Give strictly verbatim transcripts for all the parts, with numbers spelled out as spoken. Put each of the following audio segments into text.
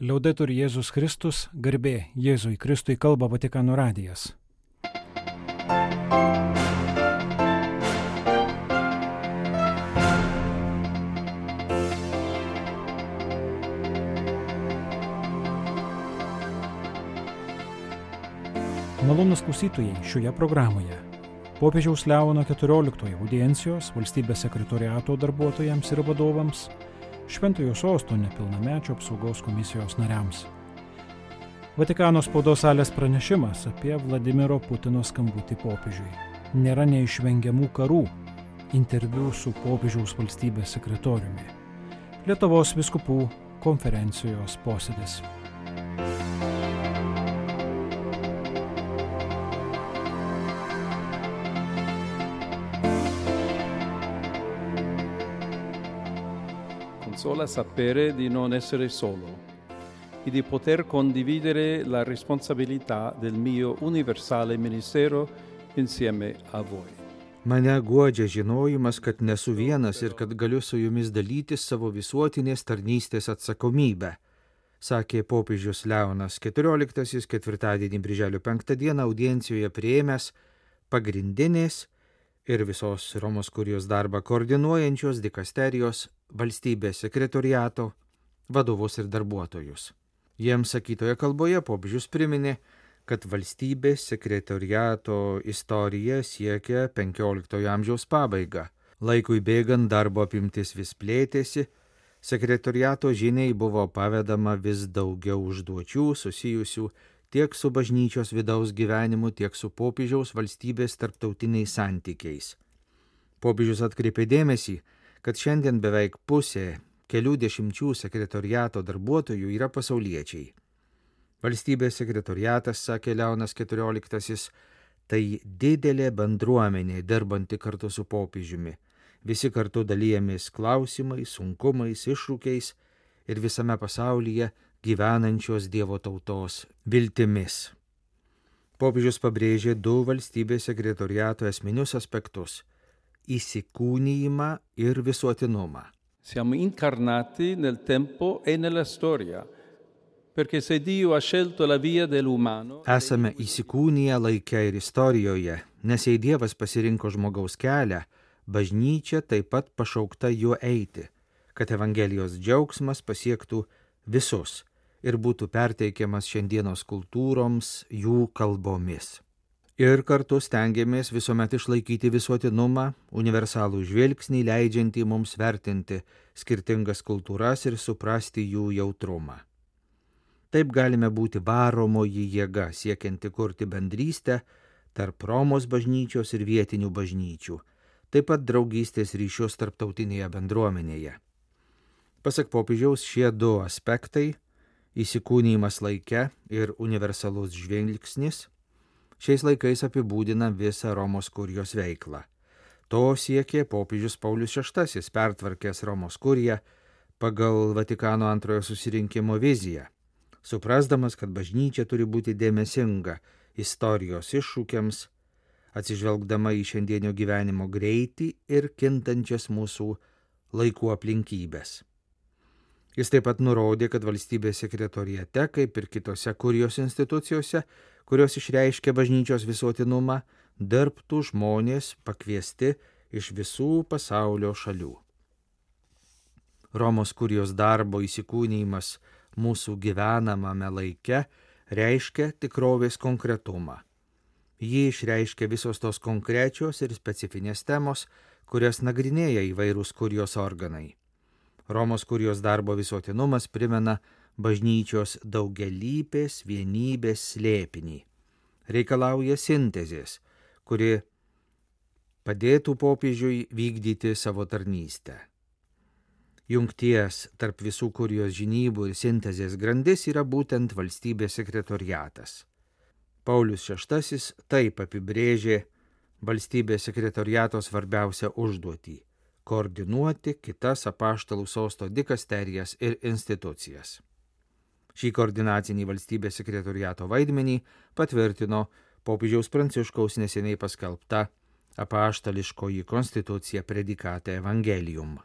Liaudetur Jėzus Kristus, garbė Jėzui Kristui, kalba Vatikano radijas. Malonūs klausytojai, šioje programoje popiežiaus Leono keturioliktojo audiencijos valstybės sekretoriato darbuotojams ir vadovams, Šventojo Sosto nepilnamečio apsaugos komisijos nariams. Vatikano spaudos salės pranešimas apie Vladimiro Putino skambutį popiežiui. Nėra neišvengiamų karų. Interviu su popiežiaus valstybės sekretoriumi. Lietuvos vyskupų konferencijos posėdis. Consola sapere di non essere solo e di poter condividere la responsabilità del mio universale ministero insieme a voi. Mane guodžia žinojimas, kad nesu vienas ir kad galiu su jumis dalytis savo visuotinės tarnystės atsakomybę, sakė popiežius Leonas keturioliktasis ketvirtadienį birželio penktą dieną audiencijoje priėmęs pagrindinės ir visos Romos kurijos darbą koordinuojančios dikasterijos valstybės sekretoriato vadovus ir darbuotojus. Jiems sakytoje kalboje popiežius priminė, kad valstybės sekretoriato istorija siekia penkioliktojo amžiaus pabaigą. Laikui bėgant darbo apimtis vis plėtėsi, sekretoriato žiniai buvo pavedama vis daugiau užduočių susijusių tiek su bažnyčios vidaus gyvenimu, tiek su popiežiaus valstybės tarptautiniais santykiais. Popiežius atkreipė dėmesį, kad šiandien beveik pusė kelių dešimčių sekretoriato darbuotojų yra pasauliečiai. Valstybės sekretoriatas, sakė Leonas keturioliktasis, tai didelė bendruomenė dirbanti kartu su popiežiumi. Visi kartu dalyjamės klausimais, sunkumais, iššūkiais ir visame pasaulyje gyvenančios Dievo tautos viltimis. Popiežius pabrėžė du valstybės sekretoriato esminius aspektus – įsikūnijimą ir visuotinumą. Siamo incarnati nel tempo e nella storia, perché se Dio ha scelto la via dell'umano... Esame įsikūniję laike ir istorijoje, nes jei Dievas pasirinko žmogaus kelią, bažnyčia taip pat pašaukta juo eiti, kad Evangelijos džiaugsmas pasiektų visus ir būtų perteikiamas šiandienos kultūroms jų kalbomis. Ir kartu stengiamės visuomet išlaikyti visuotinumą, universalų žvilgsnį leidžiantį mums vertinti skirtingas kultūras ir suprasti jų jautrumą. Taip galime būti varomoji jėga siekianti kurti bendrystę tarp Romos bažnyčios ir vietinių bažnyčių, taip pat draugystės ryšius tarptautinėje bendruomenėje. Pasak popiežiaus, šie du aspektai – įsikūnijimas laike ir universalus žvilgsnis – šiais laikais apibūdina visą Romos kurijos veiklą. To siekė popiežius Paulius šeštasis, pertvarkęs Romos kuriją pagal Vatikano antrojo susirinkimo viziją, suprasdamas, kad bažnyčia turi būti dėmesinga istorijos iššūkiams, atsižvelgdama į šiandienio gyvenimo greitį ir kintančias mūsų laikų aplinkybės. Jis taip pat nurodė, kad valstybės sekretoriate, kaip ir kitose kurijos institucijose, kurios išreiškia bažnyčios visuotinumą, dirbtų žmonės pakviesti iš visų pasaulio šalių. Romos kurijos darbo įsikūnijimas mūsų gyvenamame laike reiškia tikrovės konkretumą. Jį išreiškia visos tos konkrečios ir specifinės temos, kurias nagrinėja įvairūs kurijos organai. Romos kurijos darbo visuotinumas primena bažnyčios daugialypės vienybės slėpinį. Reikalauja sintezės, kuri padėtų popiežiui vykdyti savo tarnystę. Jungties tarp visų kurijos žinybų ir sintezės grandis yra būtent valstybės sekretoriatas. Paulius šeštasis taip apibrėžė valstybės sekretoriato svarbiausią užduotį – koordinuoti kitas apaštalų sosto dikasterijas ir institucijas. Šį koordinacinį valstybės sekretoriato vaidmenį patvirtino popiežiaus Pranciškaus neseniai paskelbta apaštališkoji konstitucija Predikate Evangelium.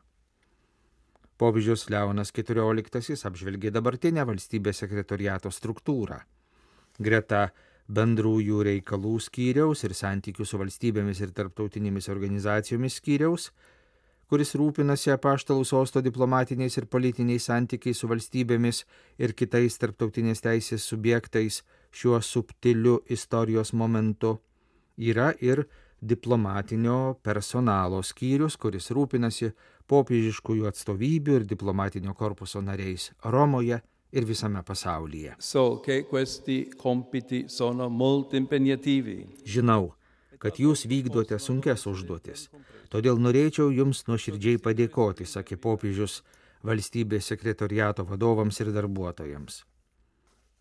Popiežius Leonas keturioliktasis apžvelgė dabartinę valstybės sekretoriato struktūrą. Greta bendrųjų reikalų skyriaus ir santykių su valstybėmis ir tarptautinėmis organizacijomis skyriaus, kuris rūpinasi apaštalų sosto diplomatiniais ir politiniais santykiais su valstybėmis ir kitais tarptautinės teisės subjektais šiuo subtiliu istorijos momentu, yra ir diplomatinio personalo skyrius, kuris rūpinasi popiežiškųjų atstovybių ir diplomatinio korpuso nariais Romoje ir visame pasaulyje. So che questi compiti sono molto impegnativi. Žinau, kad jūs vykdote sunkias užduotis, todėl norėčiau jums nuoširdžiai padėkoti, sakė popiežius valstybės sekretoriato vadovams ir darbuotojams.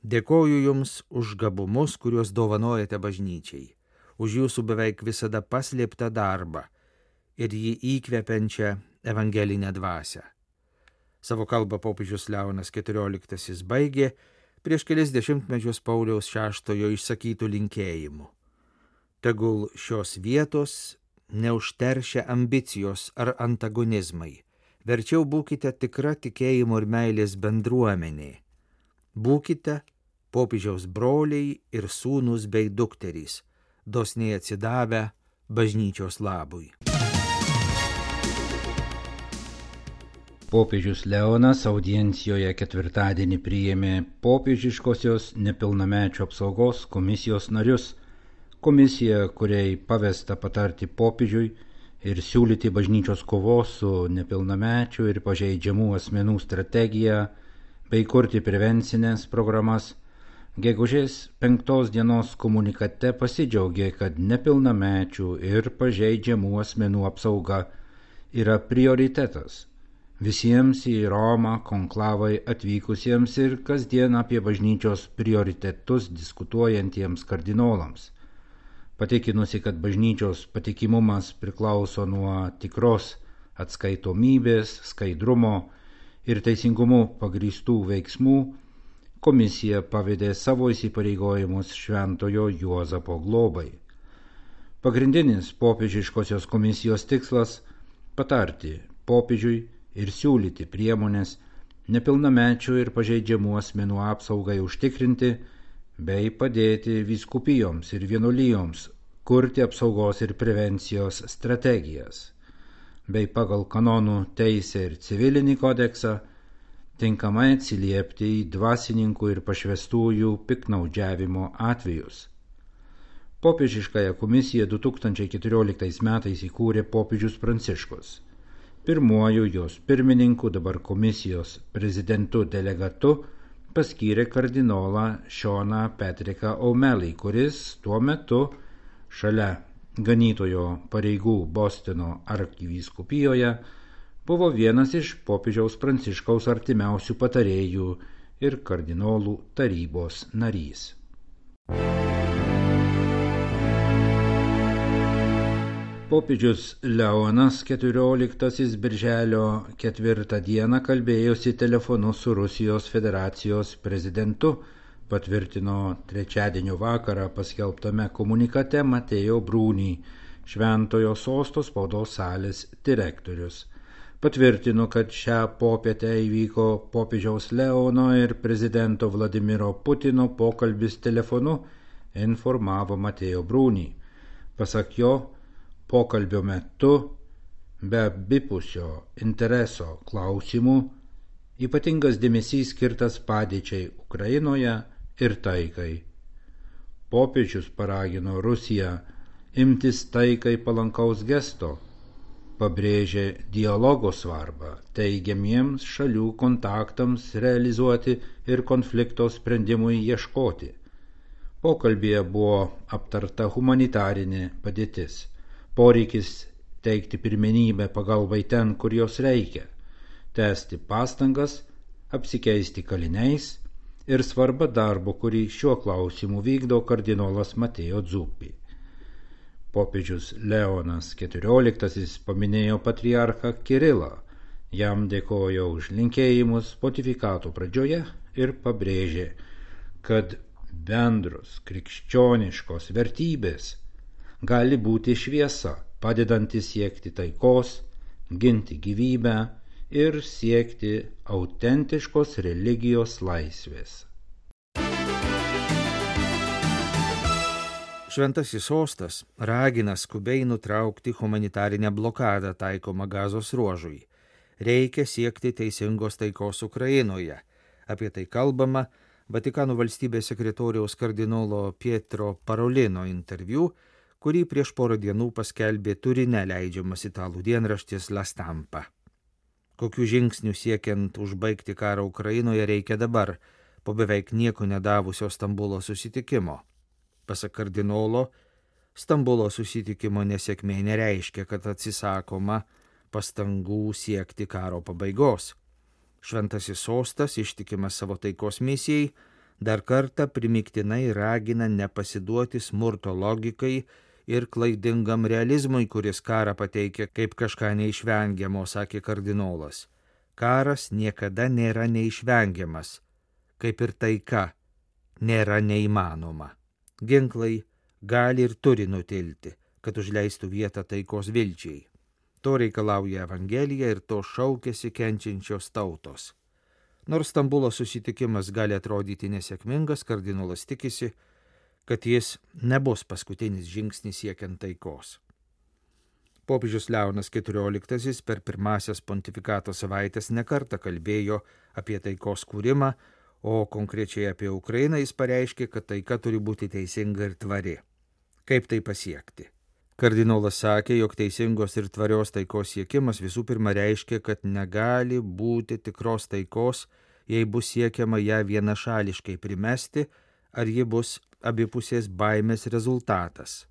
Dėkoju jums už gabumus, kuriuos dovanojate bažnyčiai, už jūsų beveik visada paslėptą darbą ir jį įkvepiančią evangelinę dvasią. Savo kalbą popiežius Leonas keturioliktasis baigė prieš kelis dešimtmečius Pauliaus šeštojo išsakytų linkėjimų. Tegul šios vietos neužteršia ambicijos ar antagonizmai, verčiau būkite tikra tikėjimo ir meilės bendruomenė. Būkite popiežiaus broliai ir sūnūs bei dukterys, dosniai atsidavę bažnyčios labui. Popiežius Leonas audiencijoje ketvirtadienį priėmė popiežiškosios nepilnamečių apsaugos komisijos narius. Komisija, kuriai pavesta patarti popiežiui ir siūlyti bažnyčios kovos su nepilnamečių ir pažeidžiamų asmenų strategiją bei kurti prevencinės programas, gegužės penktos dienos komunikate pasidžiaugė, kad nepilnamečių ir pažeidžiamų asmenų apsauga yra prioritetas visiems į Romą konklavai atvykusiems ir kasdien apie bažnyčios prioritetus diskutuojantiems kardinolams. Patikinusi, kad bažnyčios patikimumas priklauso nuo tikros atskaitomybės, skaidrumo ir teisingumu pagrįstų veiksmų, komisija pavedė savo įsipareigojimus Šventojo Juozapo globai. Pagrindinis popiežiškosios komisijos tikslas – patarti popiežiui ir siūlyti priemonės nepilnamečių ir pažeidžiamų asmenų apsaugai užtikrinti bei padėti vyskupijoms ir vienuolijoms kurti apsaugos ir prevencijos strategijas, bei pagal kanonų teisę ir civilinį kodeksą tinkamai atsiliepti į dvasininkų ir pašvestųjų piktnaudžiavimo atvejus. Popiežiškąją komisiją du tūkstančiai keturioliktais metais įkūrė popiežius Pranciškus. Pirmuoju jos pirmininku, dabar komisijos prezidentu delegatu, paskyrė kardinolą Seaną Patricką O'Malley, kuris tuo metu šalia ganytojo pareigų Bostono arkivyskupijoje buvo vienas iš popiežiaus Pranciškaus artimiausių patarėjų ir kardinolų tarybos narys. Popiežius Leonas keturioliktasis birželio ketvirtą dieną kalbėjosi telefonu su Rusijos federacijos prezidentu, patvirtino trečiadienio vakarą paskelbtame komunikate Mateo Bruni, Šventojo sosto spaudos salės direktorius. Patvirtino, kad šią popietę įvyko popiežiaus Leono ir prezidento Vladimiro Putino pokalbis telefonu, informavo Mateo Bruni. Pasak jo, pokalbio metu, be abipusio intereso klausimų, ypatingas dėmesys skirtas padėčiai Ukrainoje ir taikai. Popiežius paragino Rusiją imtis taikai palankaus gesto, pabrėžė dialogo svarbą teigiamiems šalių kontaktams realizuoti ir konflikto sprendimui ieškoti. Pokalbyje buvo aptarta humanitarinė padėtis, poreikis teikti pirmenybę pagalbai ten, kur jos reikia, tęsti pastangas, apsikeisti kaliniais ir svarba darbo, kurį šiuo klausimu vykdo kardinolas Mateo Zuppi. Popiežius Leonas keturioliktasis paminėjo patriarchą Kirilą, jam dėkojo už linkėjimus pontifikato pradžioje ir pabrėžė, kad bendros krikščioniškos vertybės gali būti šviesa, padedanti siekti taikos, ginti gyvybę ir siekti autentiškos religijos laisvės. Šventasis sostas ragina skubiai nutraukti humanitarinę blokadą taikomą Gazos ruožui. Reikia siekti teisingos taikos Ukrainoje. Apie tai kalbama Vatikano valstybės sekretoriaus kardinolo Pietro Parolino interviu, kurį prieš porą dienų paskelbė Turine leidžiamas italų dienraštis La Stampa. Kokių žingsnių siekiant užbaigti karą Ukrainoje reikia dabar, po beveik nieko nedavusio Stambulo susitikimo. Pasak kardinolo, Stambulo susitikimo nesėkmė nereiškia, kad atsisakoma pastangų siekti karo pabaigos. Šventasis sostas, ištikimas savo taikos misijai, dar kartą primiktinai ragina nepasiduoti smurto logikai ir klaidingam realizmui, kuris karą pateikia kaip kažką neišvengiamo, sakė kardinolas. Karas niekada nėra neišvengiamas, kaip ir taika nėra neįmanoma. Ginklai gali ir turi nutilti, kad užleistų vietą taikos vilčiai. To reikalauja Evangelija ir to šaukėsi kenčiančios tautos. Nors Stambulo susitikimas gali atrodyti nesėkmingas, kardinolas tikisi, kad jis nebus paskutinis žingsnis siekiant taikos. Popiežius Leonas keturioliktasis per pirmasias pontifikato savaitės nekartą kalbėjo apie taikos kūrimą, o konkrečiai apie Ukrainą jis pareiškė, kad taika turi būti teisinga ir tvari. Kaip tai pasiekti? Kardinolas sakė, jog teisingos ir tvarios taikos siekimas visų pirma reiškia, kad negali būti tikros taikos, jei bus siekiama ją vienašališkai primesti, ar ji bus abipusės baimės rezultatas.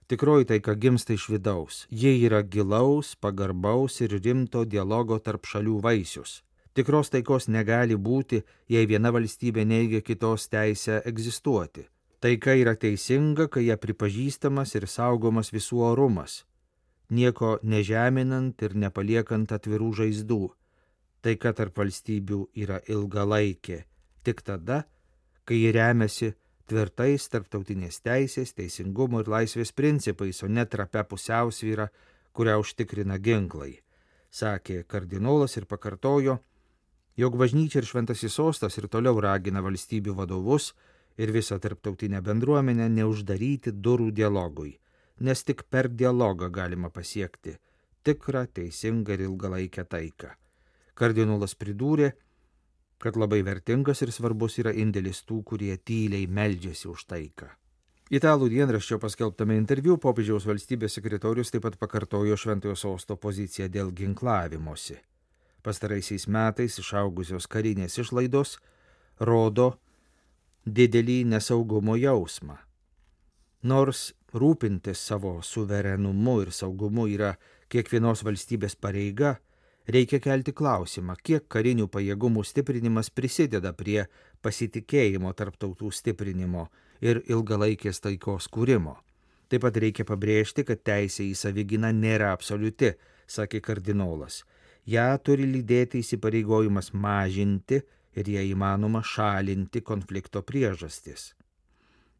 Tikroji taika gimsta iš vidaus. Ji yra gilaus, pagarbaus ir rimto dialogo tarp šalių vaisius. Tikros taikos negali būti, jei viena valstybė neigia kitos teisę egzistuoti. Taika yra teisinga, kai ją pripažįstamas ir saugomas visų orumas, nieko nežeminant ir nepaliekant atvirų žaizdų. Taika tarp valstybių yra ilgalaikė, tik tada, kai ji remiasi tvirtais tarptautinės teisės, teisingumo ir laisvės principais, o ne trapia pusiausvyra, kurią užtikrina ginklai, sakė kardinolas ir pakartojo, jog bažnyčia ir šventasis sostas ir toliau ragina valstybių vadovus ir visą tarptautinę bendruomenę neuždaryti durų dialogui, nes tik per dialogą galima pasiekti tikrą, teisingą ir ilgalaikę taiką. Kardinolas pridūrė, kad labai vertingas ir svarbus yra indėlis tų, kurie tyliai meldžiasi už taiką. Italų dienraščio paskelbtame interviu popiežiaus valstybės sekretorius taip pat pakartojo šventojo sosto poziciją dėl ginklavimosi. Pastaraisiais metais išaugusios karinės išlaidos rodo didelį nesaugumo jausmą. Nors rūpintis savo suverenumu ir saugumu yra kiekvienos valstybės pareiga, reikia kelti klausimą, kiek karinių pajėgumų stiprinimas prisideda prie pasitikėjimo tarp tautų stiprinimo ir ilgalaikės taikos kūrimo. Taip pat reikia pabrėžti, kad teisė į savigyną nėra absoliuti, sakė kardinolas. Ja turi lydėti įsipareigojimas mažinti ir jei įmanoma šalinti konflikto priežastis.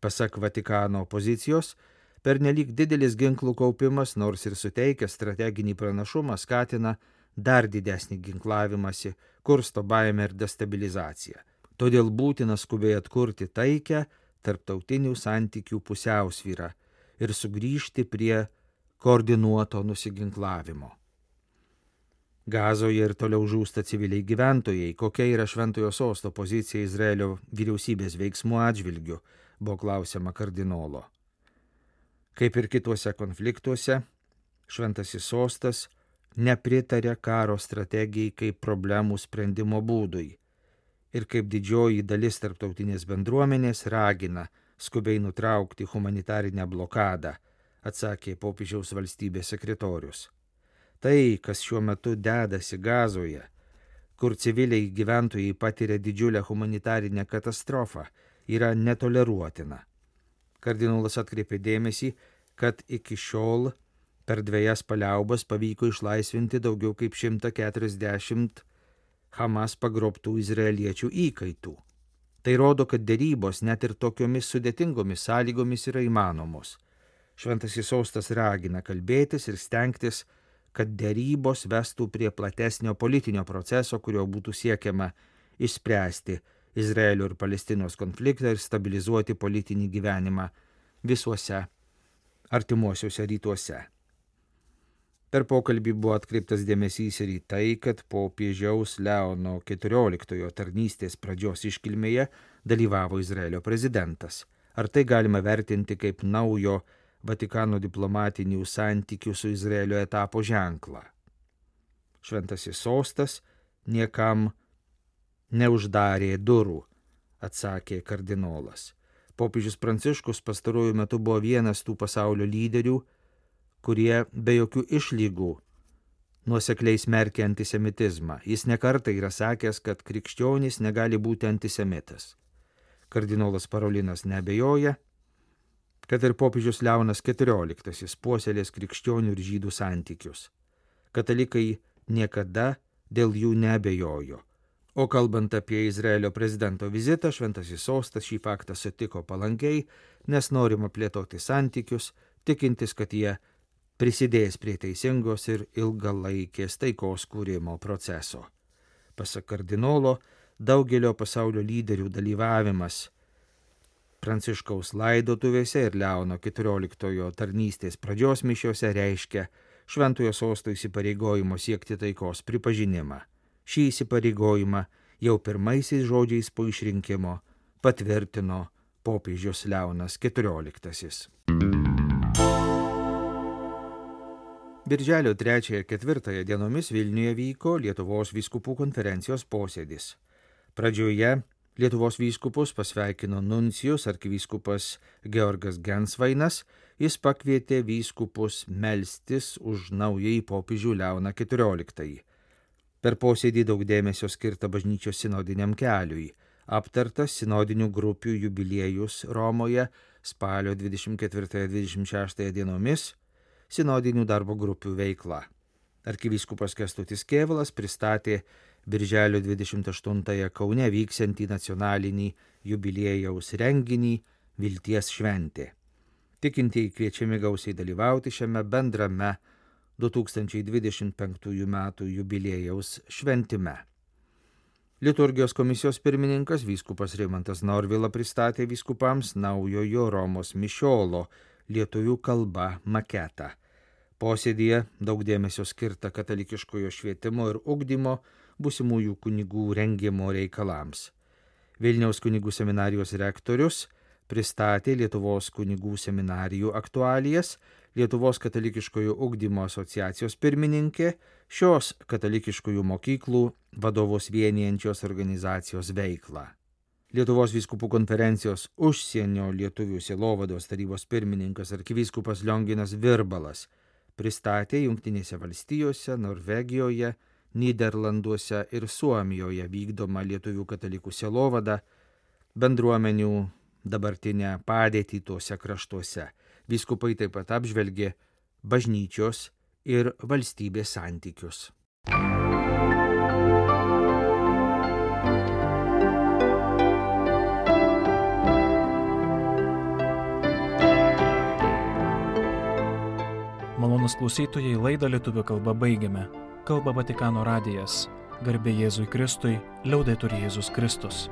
Pasak Vatikano pozicijos, pernelyg didelis ginklų kaupimas, nors ir suteikia strateginį pranašumą, skatina dar didesnį ginklavimąsi, kursto baimę ir destabilizaciją. Todėl būtina skubiai atkurti taikę tarptautinių santykių pusiausvyrą ir sugrįžti prie koordinuoto nusiginklavimo. Gazoje ir toliau žūsta civiliai gyventojai. Kokia yra šventojo sosto pozicija Izraelio vyriausybės veiksmų atžvilgiu, buvo klausima kardinolo. Kaip ir kituose konfliktuose, šventasis sostas nepritarė karo strategijai kaip problemų sprendimo būdui ir kaip didžioji dalis tarptautinės bendruomenės ragina skubiai nutraukti humanitarinę blokadą, atsakė popiežiaus valstybės sekretorius. Tai, kas šiuo metu dedasi Gazoje, kur civiliai gyventojai patiria didžiulę humanitarinę katastrofą, yra netoleruotina. Kardinolas atkreipė dėmesį, kad iki šiol per dvejas paliaubas pavyko išlaisvinti daugiau kaip šimtą keturiasdešimt Hamas pagrobtų izraeliečių įkaitų. Tai rodo, kad derybos net ir tokiomis sudėtingomis sąlygomis yra įmanomos. Šventasis sostas ragina kalbėtis ir stengtis, kad dėrybos vestų prie platesnio politinio proceso, kurio būtų siekiama išspręsti Izraelio ir Palestinos konfliktą ir stabilizuoti politinį gyvenimą visuose artimuosiuose rytuose. Per pokalbį buvo atkreiptas dėmesys ir į tai, kad popiežiaus Leono keturioliktojo tarnystės pradžios iškilmėje dalyvavo Izraelio prezidentas. Ar tai galima vertinti kaip naujo Vatikano diplomatinių santykių su Izraelio etapo ženklą? Šventasis sostas niekam neuždarė durų, atsakė kardinolas. Popiežius Pranciškus pastaruoju metu buvo vienas tų pasaulio lyderių, kurie be jokių išlygų nuosekliai smerkia antisemitizmą. Jis nekartą yra sakęs, kad krikščionys negali būti antisemitas. Kardinolas Parolinas neabejoja, kad ir popiežius Leonas keturioliktasis puoselės krikščionių ir žydų santykius. Katalikai niekada dėl jų neabejojo. O kalbant apie Izraelio prezidento vizitą, Šventasis sostas šį faktą sutiko palankiai, nes norima plėtoti santykius, tikintis, kad jie prisidės prie teisingos ir ilgalaikės taikos kūrimo proceso. Pasak kardinolo, daugelio pasaulio lyderių dalyvavimas Pranciškaus laidotuvėse ir Leono keturioliktojo tarnystės pradžios mišiose reiškia Šventojo sosto įsipareigojimo siekti taikos pripažinimą. Šį įsipareigojimą jau pirmaisiais žodžiais po išrinkimo patvirtino popiežius Leonas keturioliktasis. Birželio trečiąją ir ketvirtąją dienomis Vilniuje vyko Lietuvos vyskupų konferencijos posėdis. Pradžioje Lietuvos vyskupus pasveikino nuncijus arkivyskupas Georgas Gensvainas. Jis pakvietė vyskupus melstis už naująjį popiežių Leoną keturioliktąjį. Per posėdį daug dėmesio skirta bažnyčios sinodiniam keliui. Aptartas sinodinių grupių jubiliejus Romoje spalio dvidešimt ketvirtąją dvidešimt šeštąją dienomis, sinodinių darbo grupių veikla. Arkivyskupas Kęstutis Kėvalas pristatė birželio dvidešimt aštuntąją Kaune vyksiantį nacionalinį jubiliejaus renginį Vilties šventė. Tikintieji kviečiami gausiai dalyvauti šiame bendrame du tūkstančiai dvidešimt penktųjų metų jubiliejaus šventime. Liturgijos komisijos pirmininkas vyskupas Rimantas Norvila pristatė vyskupams naujojo Romos mišiolo lietuvių kalba maketą. Posėdyje daug dėmesio skirta katalikiškojo švietimo ir ugdymo būsimųjų kunigų rengimo reikalams. Vilniaus kunigų seminarijos rektorius pristatė Lietuvos kunigų seminarijų aktualijas, Lietuvos katalikiškojo ugdymo asociacijos pirmininkė, šios katalikiškojų mokyklų vadovus vienijančios organizacijos veiklą. Lietuvos vyskupų konferencijos užsienio lietuvių sielovados tarybos pirmininkas arkivyskupas Lionginas Virbalas pristatė Jungtinėse valstijose, Norvegijoje, Nyderlanduose ir Suomijoje vykdomą lietuvių katalikų sielovadą, bendruomenių dabartinę padėtį tuose kraštuose. Vyskupai taip pat apžvelgė bažnyčios ir valstybės santykius. Malonūs klausytojai, laidą lietuvių kalba baigiame. Kalba Vatikano radijas. Garbė Jėzui Kristui, liaudetur Jėzus Kristus.